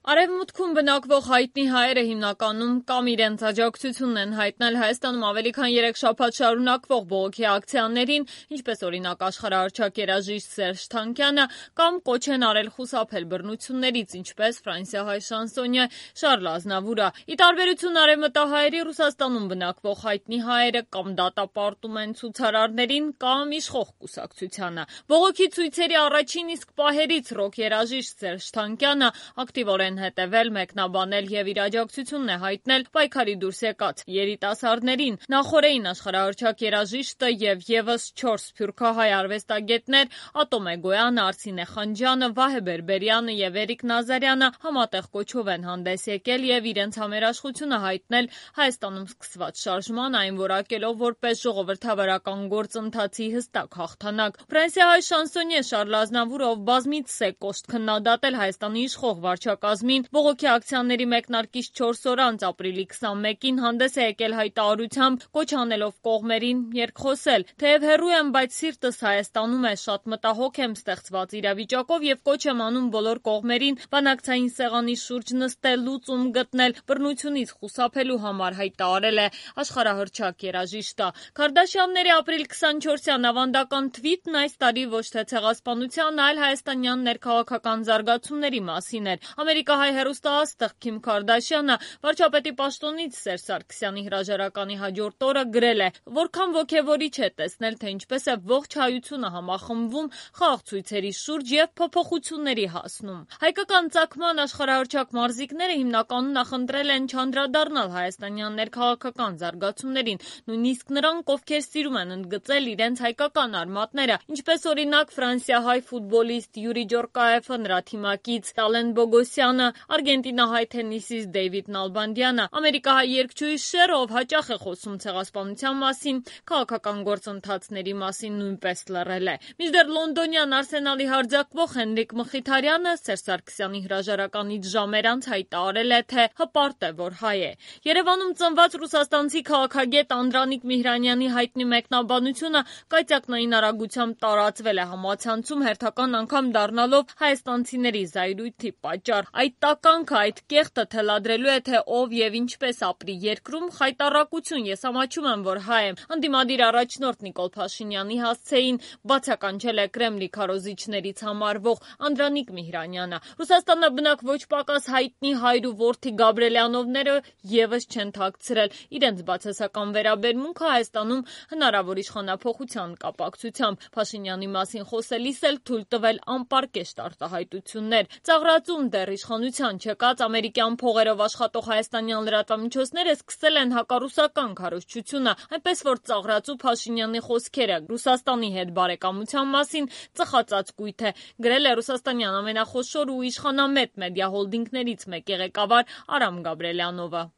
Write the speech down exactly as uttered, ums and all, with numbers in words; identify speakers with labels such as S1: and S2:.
S1: Արևմուտքում բնակվող հայտնի հայերը հիմնականում կամ իրենց աջակցությունն են հայտնել Հայաստանում ավելի քան երեք շաբաթ շարունակվող բողոքի ակցիաներին, ինչպես օրինակ աշխարհահռչակ երաժիշտ Սերժ Թանկյանը, կամ կոչ են արել խուսափել բռնություններից, ինչպես ֆրանսիահայ շանսոնյե Շարլ Ազնավուրը։ Ի տարբերություն արևմտահայերի, Ռուսաստանում բնակվող հայտնի հայերը կամ դատապարտում են ցուցարարներին կամ իշխող կուսակցությանը։ Բողոքի ցույցերի առաջին իսկ պահերից ռոք երաժիշտ Սերժ Թանկյանը ակտիվորեն հետևել, մեկնաբանել եւ իր աջակցությունն է հայտնել պայքարի դուրս եկած երիտասարդներին։ Նախորդին աշխարհահռչակ երաժիշտը եւ եւս չորս սփյուռքահայ արվեստագետներ Ատոմ Էգոյանը, Արսինե Խանջյանը, Վահե Բերբերյանը եւ Էրիկ Նազարյանը համատեղ կոչով են հանդես եկել եւ իրենց համերաշխությունը հայտնել Հայաստանում սկսված շարժման, այն որակելով որպես ժողովրդավարական գործընթացի հստակ հաղթանակ։ Ֆրանսիահայ շանսոնյե Շարլ Ազնավուրը, ով բազմիցս է կոշտ քննադատել Հայաստանի իշխող վարչակազմին, բողոքի ակցիաների մեկնարկից չորս օր անց ապրիլի քսանմեկին հանդես է եկել հայտարարությամբ, կոչ անելով կողմերին երկխոսել. «Թեև հեռու եմ, բայց սիրտս Հայաստանում է, շատ մտահոգ եմ ստեղծված իրավիճակով եւ կոչ եմ անում բոլոր կողմերին բանակցային սեղանի շուրջ նստել, լուծում գտնել, բռնությունից խուսափելու համար», հայտարարել է աշխարհահռչակ երաժիշտը։ Քարդաշյանների ապրիլ քսանչորսյան ավանդական թվիթն այս տարի ոչ թե ցեղասպանության, այլ հայաստանյան ներքաղաքական զարգացումների մասին էր։ Ամերիկահայ հեռուստաաստղ Քիմ Քարդաշյանը վարչապետի պաշտոնից Սերժ Սարգսյանի հրաժարականի հաջորդ օրը գրել է. «Որքան ոգևորիչ է տեսնել, թե ինչպես է ողջ հայությունը համախմբվում խաղաղ ցույցերի շուրջ եւ փոփոխությունների հասնում»։ Հայկական ծագման աշխարհահռչակ մարզիկները հիմնականում նախընտրել են չանդրադառնալ հայաստանյան ներքաղաքական զարգացումներին, նույնիսկ նրանք, ովքեր սիրում են ընդգծել իրենց հայկական արմատները, ինչպես օրինակ ֆրանսիահայ ֆուտբոլիստ Յուրի Ջորկաեֆը, նրա թիմակից Տալեն Բոգոսյանը, արգենտինահայ թենիսիստ Դեյվիդ Նալբանդյանը, ամերիկահայ երգչուհի Շեր, ով հաճախ է խոսում ցեղասպանության մասին, քաղաքական գործընթացների մասին նույնպես լռել է։ Մինչդեռ լոնդոնյան Արսենալի հարձակվող Հենրիկ Մխիթարյանը Սերժ Սարգսյանի հրաժարականից ժամեր անց հայտարարել է, թե հպարտ է, որ հայ է։ Երևանում ծնված ռուսաստանցի քաղաքագետ Անդրանիկ Միհրանյանի հայտնի մեկնաբանությունը կայծակնային արագությամբ տարածվել է համացանցում, հերթական անգամ դառնալով հայաստանցիների զայրույթի պատճառ։ Այդ տականքը, այդ կեղտը թելադրելու է, թե ով եւ ինչպես ապրի երկրում, խայտառակություն, ես ամաչում եմ, որ հայ եմ, ընդդիմադիր առաջնորդ Նիկոլ Փաշինյանի հասցեին բացականչել է Կրեմլի քարոզիչներից համարվող Անդրանիկ Միհրանյանը։ Ռուսաստանաբնակ ոչ պակաս հայտնի հայր ու որդի Գաբրելյանովները եւս չեն թաքցրել իրենց բացասական վերաբերմունքը Հայաստանում հնարավոր իշխանափոխության կապակցությամբ։ Փաշինյանի մասին խոսելիս էլ թույլ տվել անպարկեշտ արտահայտություններ։ Ծաղրածում դեռ իշխանության չեկած ամերիկյան փողերով աշխատող հայաստանյան լրատվամիջոցները սկսել են հակառուսական քարոզչությունը, այնպես որ ծաղրածու Փաշինյանի խոսքերը Ռուսաստանի հետ բարեկամության մասին ծխածածկույթ է, գրել է ռուսաստանյան ամենախոշոր ու իշխանամետ մեդիա հոլդինգներից մեկի ղեկավար Արամ Գաբրելյանովը։